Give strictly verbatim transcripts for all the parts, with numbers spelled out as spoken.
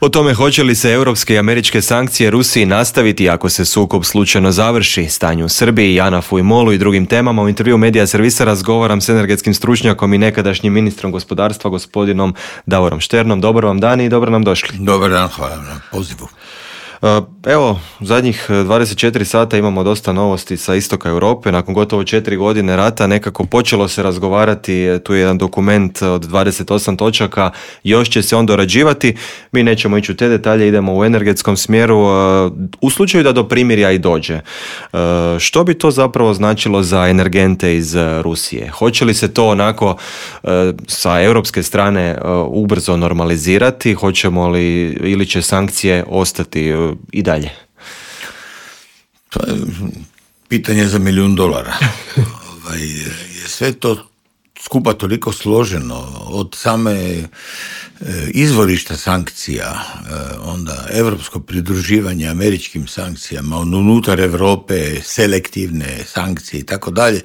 O tome hoće li se europske i američke sankcije Rusiji nastaviti ako se sukob slučajno završi, stanju u Srbiji, Janafu i Molu i drugim temama, u intervju Medija Servisa razgovaram s energetskim stručnjakom i nekadašnjim ministrom gospodarstva gospodinom Davorom Šternom. Dobar vam dan i dobro nam došli. Dobar dan, hvala na pozivu. Evo, zadnjih dvadeset četiri sata imamo dosta novosti sa istoka Europe. Nakon gotovo četiri godine rata nekako počelo se razgovarati, tu je jedan dokument od dvadeset osam točaka, još će se on dorađivati. Mi nećemo ići u te detalje, idemo u energetskom smjeru. U slučaju da do primirja i dođe, što bi to zapravo značilo za energente iz Rusije? Hoće li se to onako sa europske strane ubrzo normalizirati? Hoćemo li, ili će sankcije ostati i dalje? To je pitanje za milijun dolara. ovaj, je sve to skupa toliko složeno, od same e, izvorišta sankcija, e, onda europsko pridruživanje američkim sankcijama, unutar Europe selektivne sankcije i tako dalje.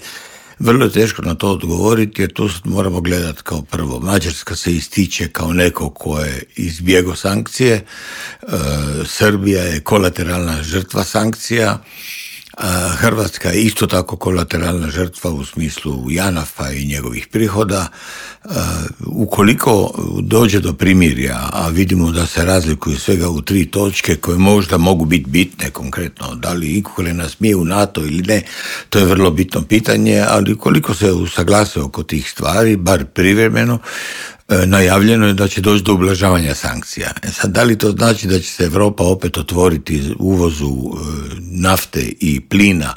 Vrlo je teško na to odgovoriti, jer tu moramo gledati kao prvo. Mađarska se ističe kao neko ko je izbjegao sankcije, e, Srbija je kolateralna žrtva sankcija, a Hrvatska je isto tako kolateralna žrtva u smislu Janafa i njegovih prihoda. E, ukoliko dođe do primirja, a vidimo da se razlikuju svega u tri točke koje možda mogu biti bitne konkretno, da li Ukrajina smije u NATO ili ne, to je vrlo bitno pitanje, ali ukoliko se usaglase oko tih stvari, bar privremeno, najavljeno je da će doći do ublažavanja sankcija. E sad, da li to znači da će se Europa opet otvoriti uvozu nafte i plina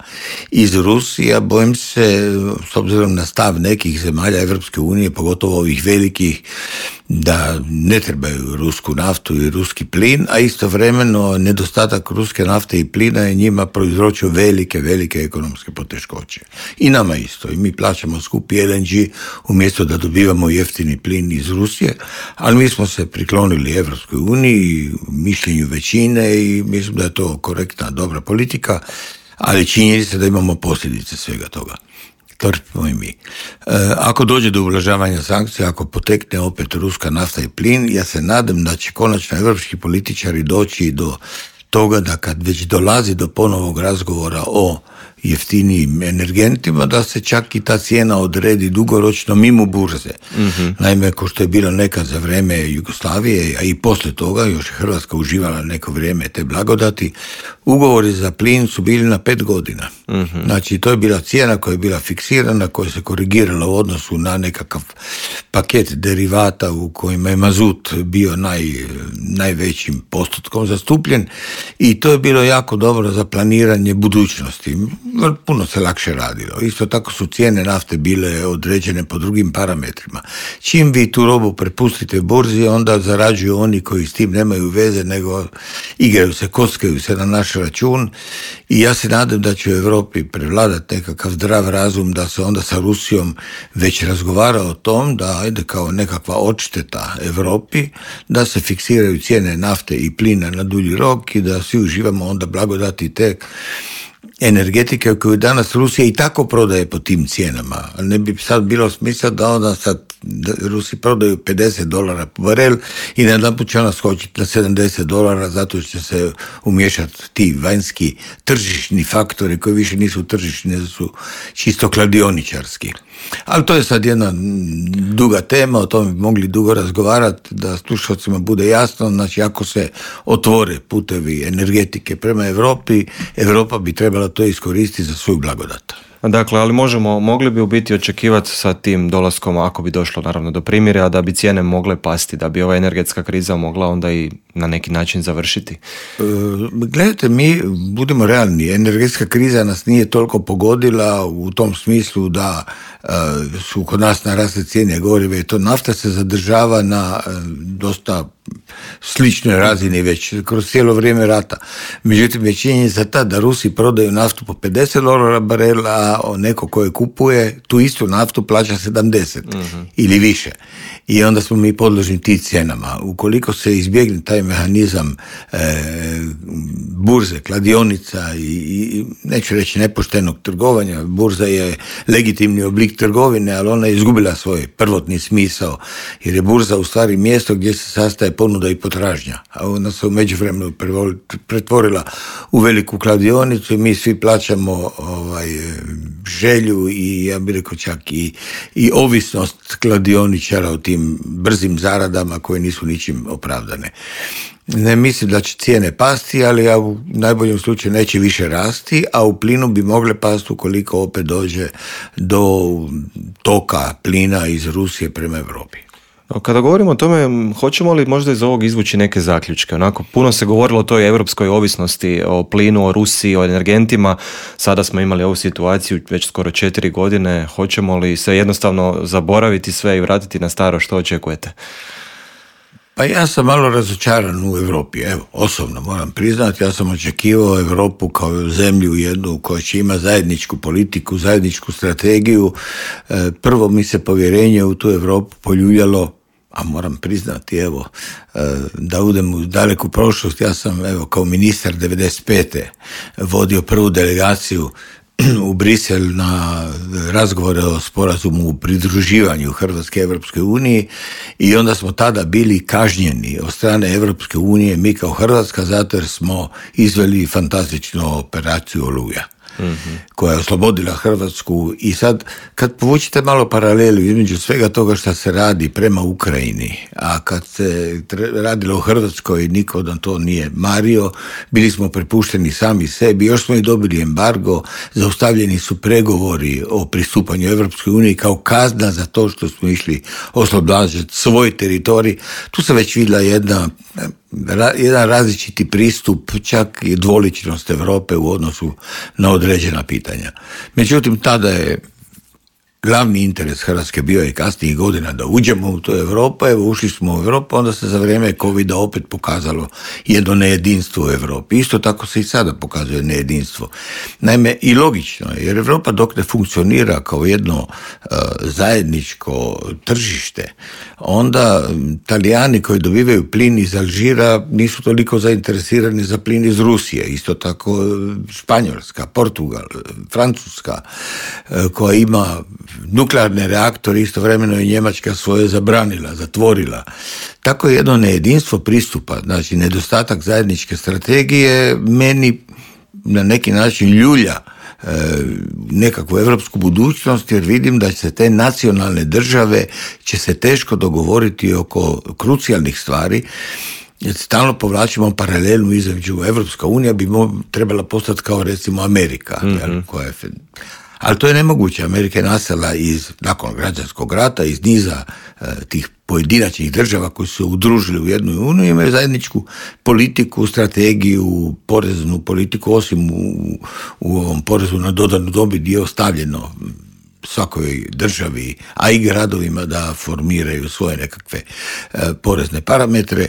iz Rusije? Bojim se, s obzirom na stav nekih zemalja Evropske unije, pogotovo ovih velikih, da ne trebaju rusku naftu i ruski plin, a istovremeno nedostatak ruske nafte i plina je njima proizročio velike, velike ekonomske poteškoće. I nama isto. I mi plaćamo skupi L N G umjesto da dobivamo jeftini plin iz Rusije, ali mi smo se priklonili Evropskoj uniji, mišljenju većine, i mislim da je to korektna, dobra politika, ali činjenica se da imamo posljedice svega toga. Trpimo i mi. E, ako dođe do ublažavanja sankcija, ako potekne opet ruska nafta i plin, ja se nadam da će konačno evropski političari doći do toga da kad već dolazi do ponovog razgovora o jeftinijim energentima, da se čak i ta cijena odredi dugoročno mimo burze. Mm-hmm. Naime, ko što je bilo nekad za vrijeme Jugoslavije, a i poslije toga, još je Hrvatska uživala neko vrijeme te blagodati, ugovori za plin su bili na pet godina. Mm-hmm. Znači, to je bila cijena koja je bila fiksirana, koja se korigirala u odnosu na nekakav paket derivata u kojima je mazut bio naj, najvećim postotkom zastupljen, i to je bilo jako dobro za planiranje budućnosti. Puno se lakše radilo. Isto tako su cijene nafte bile određene po drugim parametrima. Čim vi tu robu prepustite burzi, onda zarađuju oni koji s tim nemaju veze, nego igraju se, kockaju se na naš račun, i ja se nadam da će u Europi prevladati nekakav zdrav razum, da se onda sa Rusijom već razgovara o tom da ajde kao nekakva odšteta Europi, da se fiksiraju cijene nafte i plina na dulji rok i da svi uživamo onda blagodati te energetike koju danas Rusija i tako prodaje po tim cijenama. Ne bi sad bilo smisla da onda sad Rusi prodaju pedeset dolara po barel i najedanput će ona skočiti na sedamdeset dolara zato što će se umiješati ti vanjski tržišni faktori koji više nisu tržišni, nego su čisto kladioničarski. Ali to je sad jedna duga tema, o tome bi mogli dugo razgovarati, da slušalcima bude jasno. Znači, ako se otvore putevi energetike prema Europi, Europa bi trebala to iskoristiti za svoju blagodat. Dakle, ali možemo, mogli bi u biti očekivati sa tim dolaskom, ako bi došlo naravno do primirja, da bi cijene mogle pasti, da bi ova energetska kriza mogla onda i na neki način završiti? E, gledajte, mi budemo realni, energetska kriza nas nije toliko pogodila u tom smislu da e, su kod nas narasle cijene goriva i to nafta se zadržava na e, dosta sličnoj razini već kroz cijelo vrijeme rata. Međutim, je činjenica ta da Rusi prodaju naftu po pedeset dolara barel, a da neko koje kupuje tu istu naftu plaća sedamdeset mm-hmm. ili više. I onda smo mi podložni ti cijenama. Ukoliko se izbjegne taj mehanizam e, burze, kladionica i, i neću reći nepoštenog trgovanja, burza je legitimni oblik trgovine, ali ona je izgubila svoj prvotni smisao, jer je burza u stvari mjesto gdje se sastaje ponuda i potražnja, a ona se u međuvremenu pretvorila u veliku kladionicu i mi svi plaćamo ovaj, želju i ja bih rekao čak i, i ovisnost kladioničara o tim brzim zaradama koje nisu ničim opravdane. Ne mislim da će cijene pasti, ali ja u najboljem slučaju neće više rasti, a u plinu bi mogle pasti ukoliko opet dođe do toka plina iz Rusije prema Europi. Kada govorimo o tome, hoćemo li možda iz ovog izvući neke zaključke? Onako, puno se govorilo o toj europskoj ovisnosti, o plinu, o Rusiji, o energentima. Sada smo imali ovu situaciju već skoro četiri godine. Hoćemo li se jednostavno zaboraviti sve i vratiti na staro? Što očekujete? Pa ja sam malo razočaran u Europi, evo, osobno moram priznati, ja sam očekivao Europu kao zemlju jednu koja će ima zajedničku politiku, zajedničku strategiju. Prvo mi se povjerenje u tu Europu poljuljalo, a moram priznati, evo, da udem u daleku prošlost, ja sam, evo, kao ministar devedeset pete vodio prvu delegaciju u Brisel na razgovore o sporazumu u pridruživanju Hrvatske Evropske unije i onda smo tada bili kažnjeni od strane Evropske unije, mi kao Hrvatska, zato jer smo izveli fantastičnu operaciju Oluja. Mm-hmm. koja je oslobodila Hrvatsku i sad kad povučite malo paralelu između svega toga što se radi prema Ukrajini, a kad se radilo u Hrvatskoj niko da to nije mario, bili smo prepušteni sami sebi, još smo i dobili embargo, zaustavljeni su pregovori o pristupanju Evropskoj uniji kao kazna za to što smo išli oslobađati svoj teritorij. Tu se već vidjela jedna jedan različiti pristup, čak i dvoličnost Europe u odnosu na određena pitanja. Međutim, tada je glavni interes Hrvatske bio i kasnijih godina da uđemo u tu Europu, evo ušli smo u Europu, onda se za vrijeme covida opet pokazalo jedno nejedinstvo u Europi. Isto tako se i sada pokazuje nejedinstvo. Naime, i logično je, jer Europa dok ne funkcionira kao jedno uh, zajedničko tržište, onda Talijani koji dobivaju plin iz Alžira nisu toliko zainteresirani za plin iz Rusije. Isto tako Španjolska, Portugal, Francuska, uh, koja ima nuklearne reaktore, istovremeno je Njemačka svoje zabranila, zatvorila. Tako je jedno nejedinstvo pristupa, znači nedostatak zajedničke strategije meni na neki način ljulja e, nekakvu evropsku budućnost, jer vidim da će se te nacionalne države će se teško dogovoriti oko krucijalnih stvari. Stalno povlačimo paralelu između Evropska unija bi mo- trebala postati kao recimo Amerika, mm-hmm. jel, koja je ali to je nemoguće. Amerika je nastala iz, nakon građanskog rata, iz niza e, tih pojedinačnih država koji su se udružili u jednu uniju, imaju zajedničku politiku, strategiju, poreznu politiku, osim u, u ovom porezu na dodanu dobit gdje je ostavljeno svakoj državi, a i gradovima da formiraju svoje nekakve e, porezne parametre.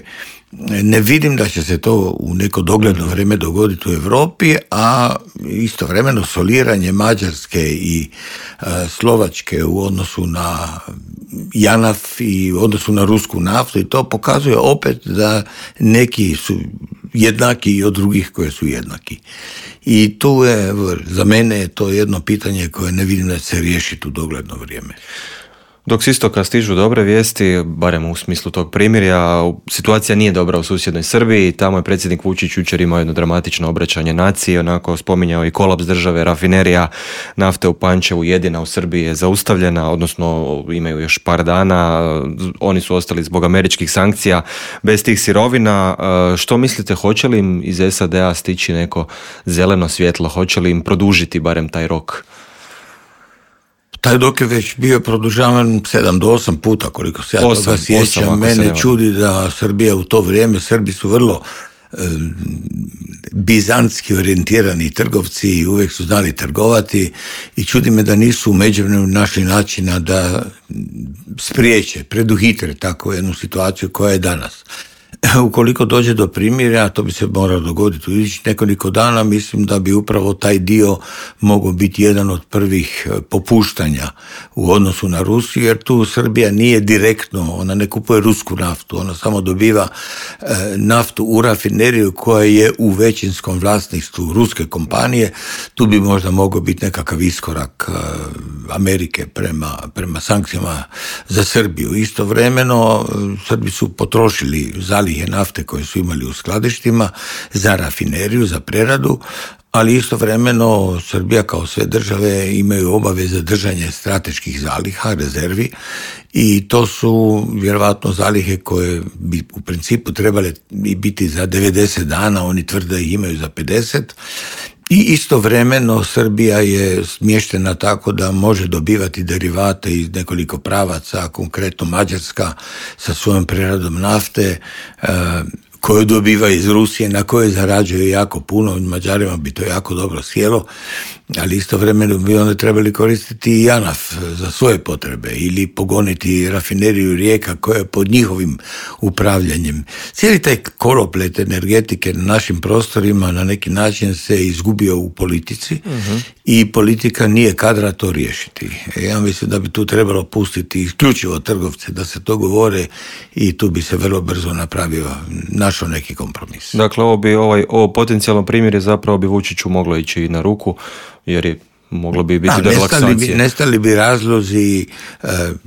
Ne vidim da će se to u neko dogledno vrijeme dogoditi u Europi, a istovremeno soliranje Mađarske i e, Slovačke u odnosu na JANAF i u odnosu na rusku naftu i to pokazuje opet da neki su jednaki od drugih koje su jednaki. I tu je, za mene je to jedno pitanje koje ne vidim da se riješiti u dogledno vrijeme. Dok s istoka stižu dobre vijesti, barem u smislu tog primirja, situacija nije dobra u susjednoj Srbiji. Tamo je predsjednik Vučić jučer imao jedno dramatično obraćanje naciji, onako spominjao i kolaps države, rafinerija nafte u Pančevu, jedina u Srbiji je zaustavljena, odnosno imaju još par dana, oni su ostali zbog američkih sankcija bez tih sirovina. Što mislite, hoće li im iz S A D-a stići neko zeleno svjetlo, hoće li im produžiti barem taj rok? Taj dok je već bio produžavan sedam do osam puta, koliko se ja toga sjećam. Mene čudi da Srbija u to vrijeme, Srbi su vrlo e, bizantski orijentirani trgovci i uvijek su znali trgovati i čudi me da nisu u međuvremenu našli načina da spriječe, preduhitre takvu jednu situaciju koja je danas. ukoliko dođe do primirja, to bi se moralo dogoditi u idućih nekoliko dana, mislim da bi upravo taj dio mogao biti jedan od prvih popuštanja u odnosu na Rusiju, jer tu Srbija nije direktno, ona ne kupuje rusku naftu, ona samo dobiva e, naftu u rafineriju koja je u većinskom vlasništvu ruske kompanije. Tu bi možda mogao biti nekakav iskorak e, Amerike prema, prema sankcijama za Srbiju. Istovremeno Srbi su potrošili zalihe nafte koje su imali u skladištima za rafineriju, za preradu, ali istovremeno Srbija kao sve države imaju obaveze držanja strateških zaliha, rezervi, i to su vjerovatno zalihe koje bi u principu trebale biti za devedeset dana, oni tvrde da ih imaju za pedeset. I istovremeno Srbija je smještena tako da može dobivati derivate iz nekoliko pravaca, konkretno Mađarska sa svojom preradom nafte, e, koju dobiva iz Rusije, na kojoj zarađuje jako puno, Mađarima bi to jako dobro sjelo, ali istovremeno bi onda trebali koristiti i JANAF za svoje potrebe ili pogoniti rafineriju Rijeka koja je pod njihovim upravljanjem. Cijeli taj koloplet energetike na našim prostorima na neki način se izgubio u politici, uh-huh. i politika nije kadra to riješiti. Ja mislim da bi tu trebalo pustiti isključivo trgovce da se to govore i tu bi se vrlo brzo napravio, našao neki kompromis. Dakle, ovo bi ovaj, ovo potencijalno primjer je zapravo bi Vučiću moglo ići i na ruku, jer je moglo bi biti do relaksacije. Nestali bi, nestali bi razlozi,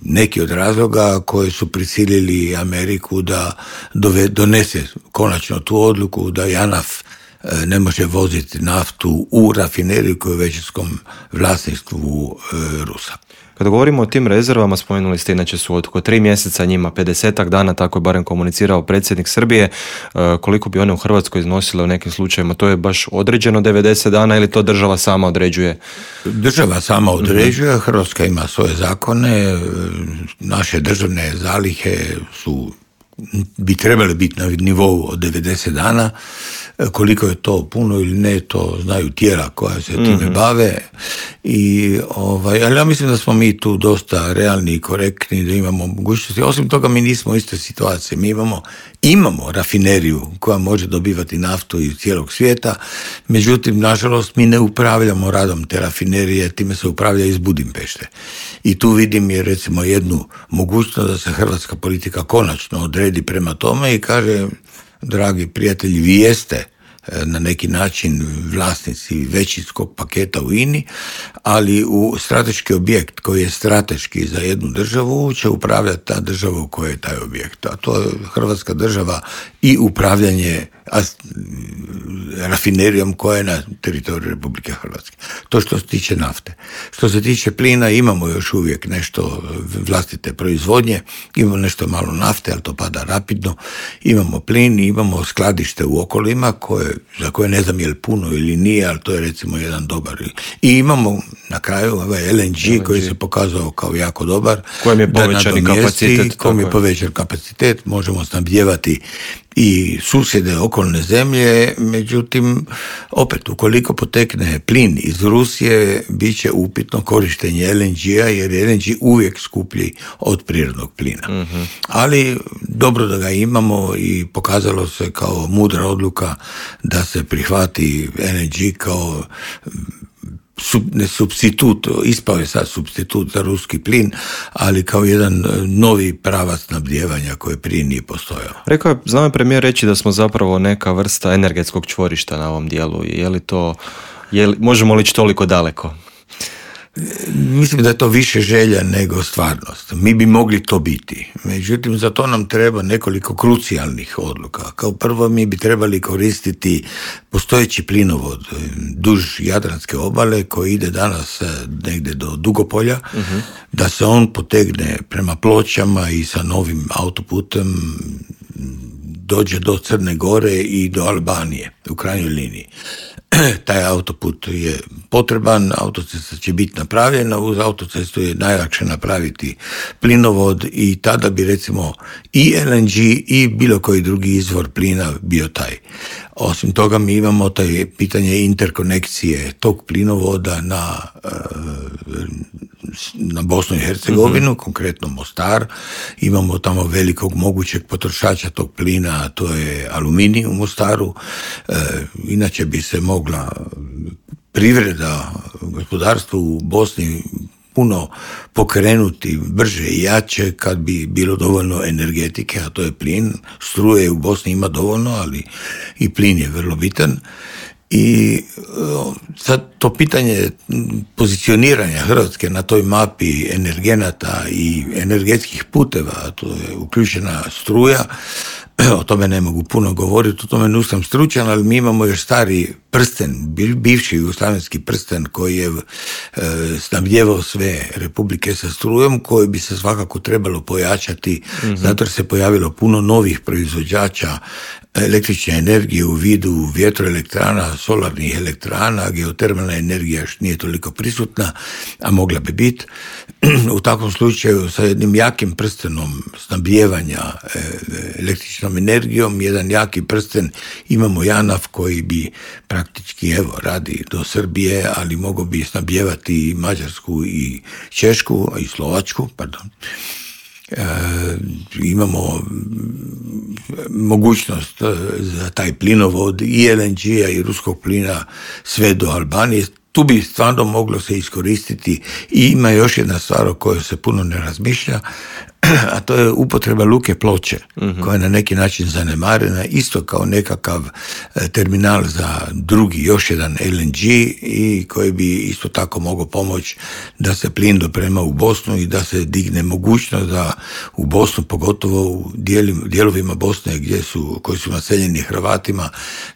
neki od razloga koji su prisilili Ameriku da dove, donese konačno tu odluku da JANAF ne može voziti naftu u rafineriju koju je u većinskom vlasništvu Rusa. Kada govorimo o tim rezervama, spomenuli ste inače su od oko tri mjeseca njima pedesetak dana, tako je barem komunicirao predsjednik Srbije. Koliko bi one u Hrvatskoj iznosile u nekim slučajevima? To je baš određeno devedeset dana ili to država sama određuje? Država sama određuje, Hrvatska ima svoje zakone, naše državne zalihe su, bi trebale biti na nivou od devedeset dana. Koliko je to puno ili ne, to znaju tijela koja se time mm-hmm. bave. I, ovaj, ali ja mislim da smo mi tu dosta realni i korektni, da imamo mogućnosti. Osim toga, mi nismo u istoj situaciji. Mi imamo, imamo rafineriju koja može dobivati naftu iz cijelog svijeta, međutim, nažalost, mi ne upravljamo radom te rafinerije, time se upravlja iz Budimpešte. I tu vidim je recimo jednu mogućnost da se hrvatska politika konačno odredi prema tome i kaže: dragi prijatelji, vi jeste na neki način vlasnici većinskog paketa u I N I, ali u strateški objekt koji je strateški za jednu državu će upravljati ta država u kojoj je taj objekt. A to je Hrvatska država i upravljanje rafinerijom koja je na teritoriju Republike Hrvatske. To što se tiče nafte. Što se tiče plina, imamo još uvijek nešto vlastite proizvodnje, imamo nešto malo nafte, ali to pada rapidno. Imamo plin i imamo skladište u okolima koje, za koje ne znam je li puno ili nije, ali to je recimo jedan dobar. I imamo na kraju ovaj L N G, L N G. koji se pokazao kao jako dobar. Kojem je povećani kapacitet. Kojem je povećan kapacitet, možemo snabdijevati i susjede okolne zemlje, međutim, opet, ukoliko potekne plin iz Rusije, bit će upitno korištenje L N G-a, jer je L N G uvijek skuplji od prirodnog plina. Mm-hmm. Ali dobro da ga imamo i pokazalo se kao mudra odluka da se prihvati L N G kao Sub, ne supstitut, ispao je sad supstitut za ruski plin, ali kao jedan novi pravac snabdijevanja koji prije nije postojao. Rekao je, znamo premijer reći da smo zapravo neka vrsta energetskog čvorišta na ovom dijelu. Je li to, je li, možemo li ići toliko daleko? Mislim da je to više želja nego stvarnost. Mi bi mogli to biti. Međutim, za to nam treba nekoliko krucijalnih odluka. Kao prvo, mi bi trebali koristiti postojeći plinovod duž Jadranske obale koji ide danas negdje do Dugopolja, uh-huh. da se on potegne prema Pločama i sa novim autoputem dođe do Crne Gore i do Albanije u krajnjoj liniji. taj autoput je potreban, autocesta će biti napravljena, uz autocestu je najlakše napraviti plinovod i tada bi recimo i el en ge i bilo koji drugi izvor plina bio taj. Osim toga mi imamo taj pitanje interkonekcije tog plinovoda na, na Bosnu i Hercegovinu, mm-hmm. konkretno Mostar. Imamo tamo velikog mogućeg potrošača tog plina, a to je aluminij u Mostaru. E, inače bi se mogla privreda, gospodarstvo u Bosni puno pokrenuti brže i jače kad bi bilo dovoljno energetike, a to je plin. Struje u Bosni ima dovoljno, ali i plin je vrlo bitan. I sad to pitanje pozicioniranja Hrvatske na toj mapi energenata i energetskih puteva, to je uključena struja, o tome ne mogu puno govoriti, o tome nisam stručan, ali mi imamo još stari prsten, bivši jugoslavenski prsten koji je e, snabdjevao sve republike sa strujom, koji bi se svakako trebalo pojačati, mm-hmm. zato jer se pojavilo puno novih proizvođača električne energije u vidu vjetroelektrana, solarnih elektrana, geotermalna energija još nije toliko prisutna, a mogla bi biti. U takvom slučaju sa jednim jakim prstenom snabdjevanja električnom energijom, jedan jaki prsten, imamo JANAF koji bi praktički, evo, radi do Srbije, ali mogao bi snabdjevati i Mađarsku i Češku, i Slovačku, pardon. E, imamo mogućnost za taj plinovod i el en ge-a i ruskog plina sve do Albanije. Tu bi stvarno moglo se iskoristiti i ima još jedna stvar o kojoj se puno ne razmišlja, a to je upotreba luke Ploče, mm-hmm. koja je na neki način zanemarena, isto kao nekakav terminal za drugi, još jedan el en ge i koji bi isto tako mogao pomoći da se plin doprema u Bosnu i da se digne mogućnost da u Bosnu, pogotovo u dijelovima Bosne gdje su, koji su naseljeni Hrvatima,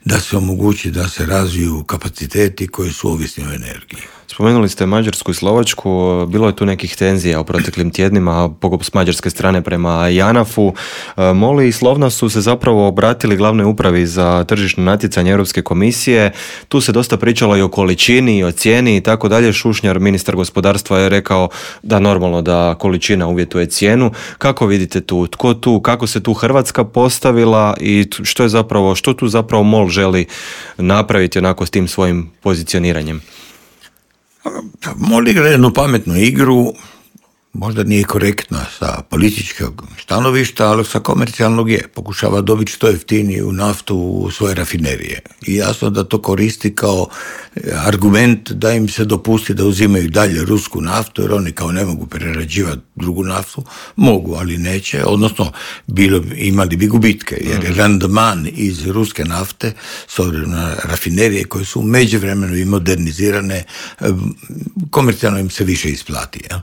da se omogući da se razviju kapaciteti koji su ovisni o energiji. Spomenuli ste Mađarsku i Slovačku, bilo je tu nekih tenzija u proteklim tjednima s mađarske strane prema JANAF-u. MOL i Slovna su se zapravo obratili glavnoj upravi za tržišno natjecanje Europske komisije. Tu se dosta pričalo i o količini i o cijeni i tako dalje. Šušnjar, ministar gospodarstva, je rekao da normalno da količina uvjetuje cijenu. Kako vidite tu? Tko tu? Kako se tu Hrvatska postavila i što je zapravo, što tu zapravo MOL želi napraviti onako s tim svojim pozicioniranjem? MOL igra jednu pametnu igru, možda nije korektna sa političkog stanovišta, ali sa komercijalnog je. Pokušava dobiti što jeftiniju naftu u svoje rafinerije. I jasno da to koristi kao argument da im se dopusti da uzimaju dalje rusku naftu, jer oni kao ne mogu prerađivati drugu naftu. Mogu, ali neće. Odnosno, bilo, imali bi gubitke, jer je randman iz ruske nafte, s obzirom na rafinerije koje su u međuvremenu i modernizirane, komercijalno im se više isplati. Jel?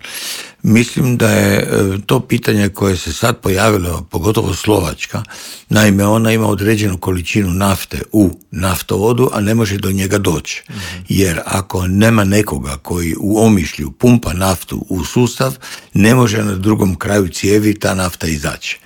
Mislim da je to pitanje koje se sad pojavilo, pogotovo Slovačka, naime ona ima određenu količinu nafte u naftovodu, a ne može do njega doći. Mm-hmm. Jer ako nema nekoga koji u Omišlju pumpa naftu u sustav, ne može na drugom kraju cijevi ta nafta izaći.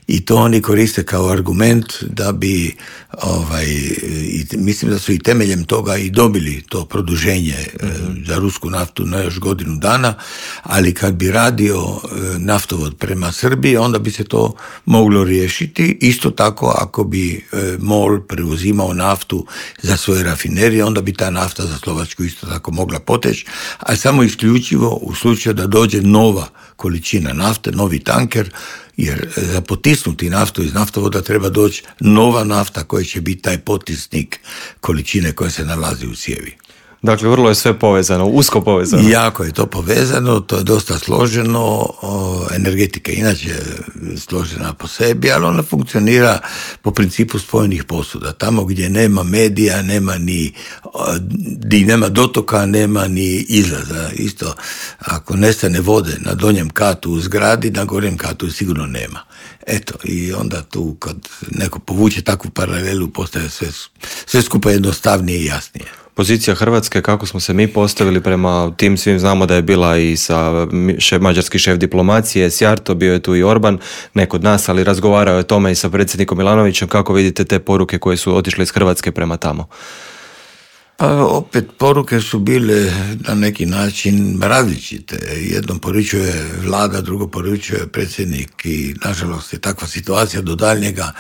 I to oni koriste kao argument da bi, ovaj, i mislim da su i temeljem toga i dobili to produženje mm-hmm. za rusku naftu na još godinu dana, ali kad bi radio naftovod prema Srbiji, onda bi se to moglo riješiti. Isto tako ako bi MOL preuzimao naftu za svoje rafinerije, onda bi ta nafta za Slovačku isto tako mogla poteći, a samo isključivo u slučaju da dođe nova količina nafte, novi tanker, jer za potisnuti naftu iz naftovoda treba doći nova nafta koja će biti taj potisnik količine koja se nalazi u cijevi. Dakle, vrlo je sve povezano, usko povezano. Jako je to povezano, to je dosta složeno, o, energetika inače je složena po sebi, ali ona funkcionira po principu spojenih posuda. Tamo gdje nema medija, nema ni, gdje nema dotoka, nema ni izlaza. Isto, ako nestane vode na donjem katu u zgradi, na gornjem katu sigurno nema. Eto, i onda tu kad neko povuče takvu paralelu, postaje sve, sve skupa jednostavnije i jasnije. Pozicija Hrvatske, kako smo se mi postavili prema tim svim, znamo da je bila i sa šef, mađarski šef diplomacije, Sjarto, bio je tu i Orban, ne kod nas, ali razgovarao je o tome i sa predsjednikom Milanovićem. Kako vidite te poruke koje su otišle iz Hrvatske prema tamo? Pa opet poruke su bile na neki način različite. Jednom poručuje vlada, drugo poručuje predsjednik i nažalost je takva situacija do daljnjega.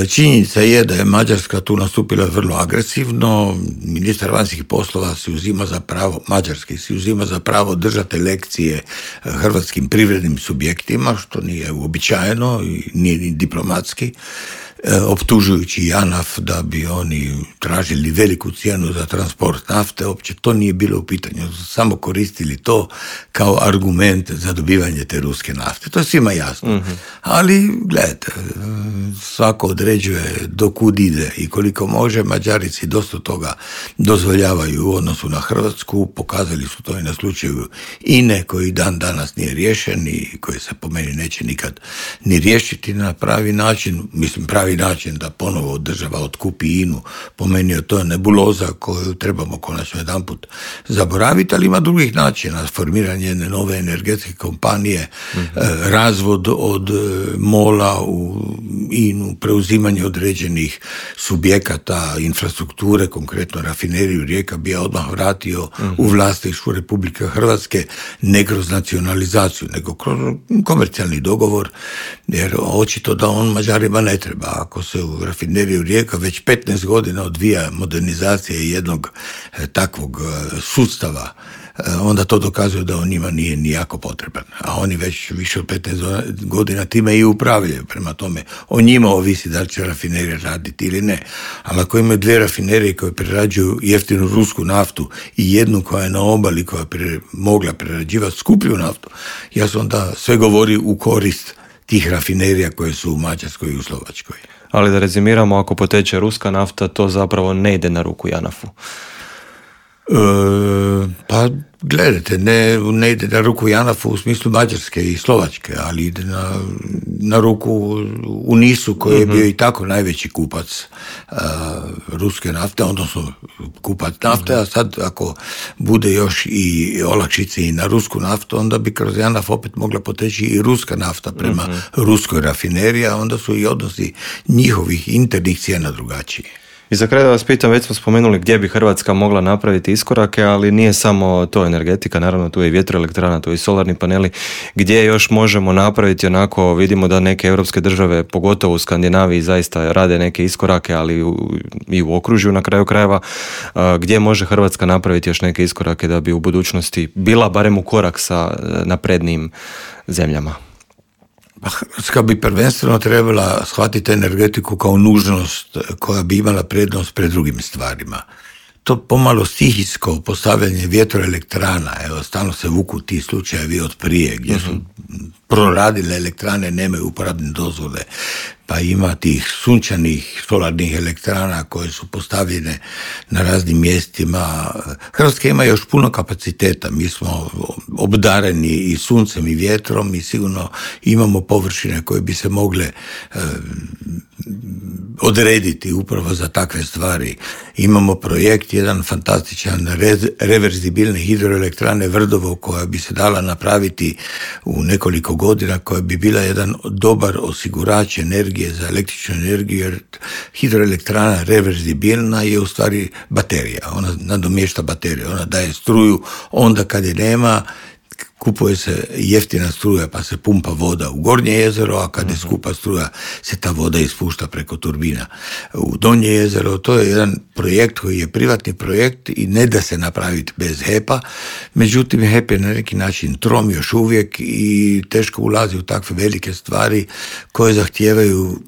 Činjenica je da je Mađarska tu nastupila vrlo agresivno. Ministar vanjskih poslova si uzima za pravo, mađarski si uzima za pravo držati lekcije hrvatskim privrednim subjektima, što nije uobičajeno i nije ni diplomatski, optužujući JANAF da bi oni tražili veliku cijenu za transport nafte. Uopće to nije bilo u pitanju, samo koristili to kao argument za dobivanje te ruske nafte. To je svima jasno. Mm-hmm. Ali, gledajte, svako određuje do kud ide i koliko može. Mađarici dosta toga dozvoljavaju u odnosu na Hrvatsku, pokazali su to i na slučaju I N E koji dan danas nije riješen i koji se po meni neće nikad ni riješiti na pravi način, mislim pravi način da ponovo država otkupi I N U, po meni je to nebuloza koju trebamo konačno jedanput zaboraviti, ali ima drugih načina, formiranje jedne nove energetske kompanije, mm-hmm. razvod od mola u I N U, preuzimanje određenih subjekata, infrastrukture, konkretno rafineriju Rijeka bi ja odmah vratio mm-hmm. u vlasništvo Republike Hrvatske, ne kroz nacionalizaciju, nego kroz komercijalni dogovor, jer očito da on Mađarima ne treba. Ako se u rafineriju Rijeka već petnaest godina odvija modernizacija jednog e, takvog e, sustava, e, onda to dokazuje da on njima nije nijako potreban. A oni već više od petnaest godina time i upravljaju. Prema tome, o njima ovisi da li će rafinerija raditi ili ne. Ali ako imaju dvije rafinerije koje prerađuju jeftinu rusku naftu i jednu koja je na obali koja je mogla prerađivati skuplju naftu, jasno da sve govori u korist tih rafinerija koje su u Mađarskoj i u Slovačkoj. Ali da rezimiramo, ako poteče ruska nafta, to zapravo ne ide na ruku JANAF-u. E, pa gledajte, ne, ne ide na ruku JANAF-u u smislu Mađarske i Slovačke, ali ide na, na ruku u NIS-u koji je bio i tako najveći kupac uh, ruske nafte, odnosno kupac nafte, a sad ako bude još i olakšice i na rusku naftu, onda bi kroz JANAF opet mogla poteći i ruska nafta prema uh-huh. ruskoj rafineriji, a onda su i odnosi njihovih internih cijena drugačiji. I za kraj da vas pitam, već smo spomenuli gdje bi Hrvatska mogla napraviti iskorake, ali nije samo to energetika, naravno tu je i vjetroelektrana, tu je i solarni paneli. Gdje još možemo napraviti, onako vidimo da neke europske države, pogotovo u Skandinaviji, zaista rade neke iskorake, ali u, i u okružju na kraju krajeva. Gdje može Hrvatska napraviti još neke iskorake da bi u budućnosti bila barem u korak sa naprednijim zemljama? Pa Hrvatska bi prvenstveno trebala shvatiti energetiku kao nužnost koja bi imala prednost pred drugim stvarima. To pomalo stihijsko postavljanje vjetroelektrana, evo, stalno se vuku ti slučajevi od prije, gdje su proradile elektrane, nemaju uporabne dozvole, pa ima tih sunčanih solarnih elektrana koje su postavljene na raznim mjestima. Hrvatska ima još puno kapaciteta, mi smo obdareni i suncem i vjetrom i sigurno imamo površine koje bi se mogle eh, odrediti upravo za takve stvari. Imamo projekt, jedan fantastičan rez, reverzibilne hidroelektrane Vrdovo koja bi se dala napraviti u nekoliko godina, koja bi bila jedan dobar osigurač energije za električnu energiju, jer hidroelektrana reverzibilna je u stvari baterija, ona nadomješta bateriju, ona daje struju onda kad je nema, kupuje se jeftina struja pa se pumpa voda u Gornje jezero, a kad je skupa struja se ta voda ispušta preko turbina u Donje jezero. To je jedan projekt koji je privatni projekt i ne da se napraviti bez H E P-a, međutim H E P je na neki način trom još uvijek i teško ulazi u takve velike stvari koje zahtijevaju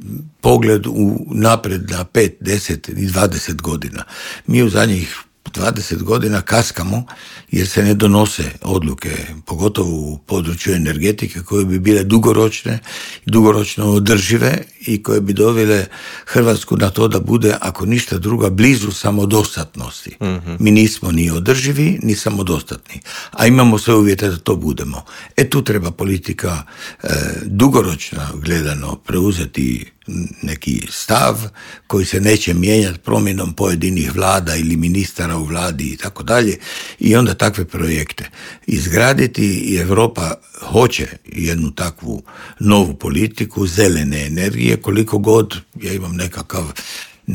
pogled u napred na pet, deset i dvadeset godina. Mi u zadnjih dvadeset godina kaskamo jer se ne donose odluke, pogotovo u području energetike, koje bi bile dugoročne, dugoročno održive i koje bi dovele Hrvatsku na to da bude, ako ništa druga, blizu samodostatnosti. Mm-hmm. Mi nismo ni održivi, ni samodostatni, a imamo sve uvjete da to budemo. E tu treba politika e, dugoročno gledano preuzeti neki stav koji se neće mijenjati promjenom pojedinih vlada ili ministara u vladi i tako dalje, i onda takve projekte izgraditi. I Europa hoće jednu takvu novu politiku zelene energije, koliko god ja imam nekakav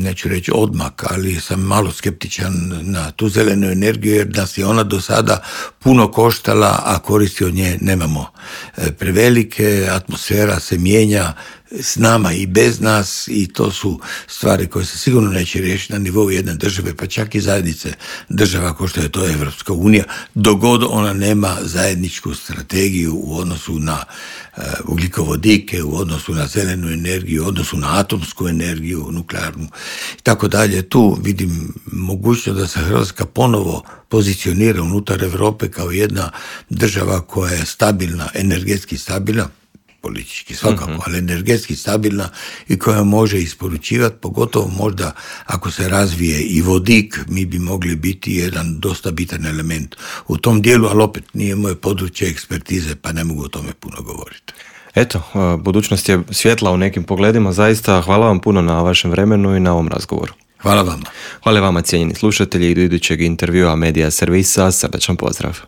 neću reći odmak, ali sam malo skeptičan na tu zelenu energiju jer nas je ona do sada puno koštala, a koristi od nje nemamo prevelike, atmosfera se mijenja s nama i bez nas i to su stvari koje se sigurno neće riješiti na nivou jedne države, pa čak i zajednice država kao što je to Evropska unija, dok god ona nema zajedničku strategiju u odnosu na uh, ugljikovodike, u odnosu na zelenu energiju, u odnosu na atomsku energiju, nuklearnu i tako dalje. Tu vidim mogućnost da se Hrvatska ponovo pozicionira unutar Europe kao jedna država koja je stabilna, energetski stabilna, politički svakako, uh-huh. ali energetski stabilna i koja može isporučivati, pogotovo možda ako se razvije i vodik, mi bi mogli biti jedan dosta bitan element u tom dijelu, ali opet nije moje područje ekspertize, pa ne mogu o tome puno govoriti. Eto, budućnost je svjetla u nekim pogledima, zaista hvala vam puno na vašem vremenu i na ovom razgovoru. Hvala vama. Hvala vama, cijenjeni slušatelji, i do idućeg intervjua Medija Servisa, srdačan pozdrav.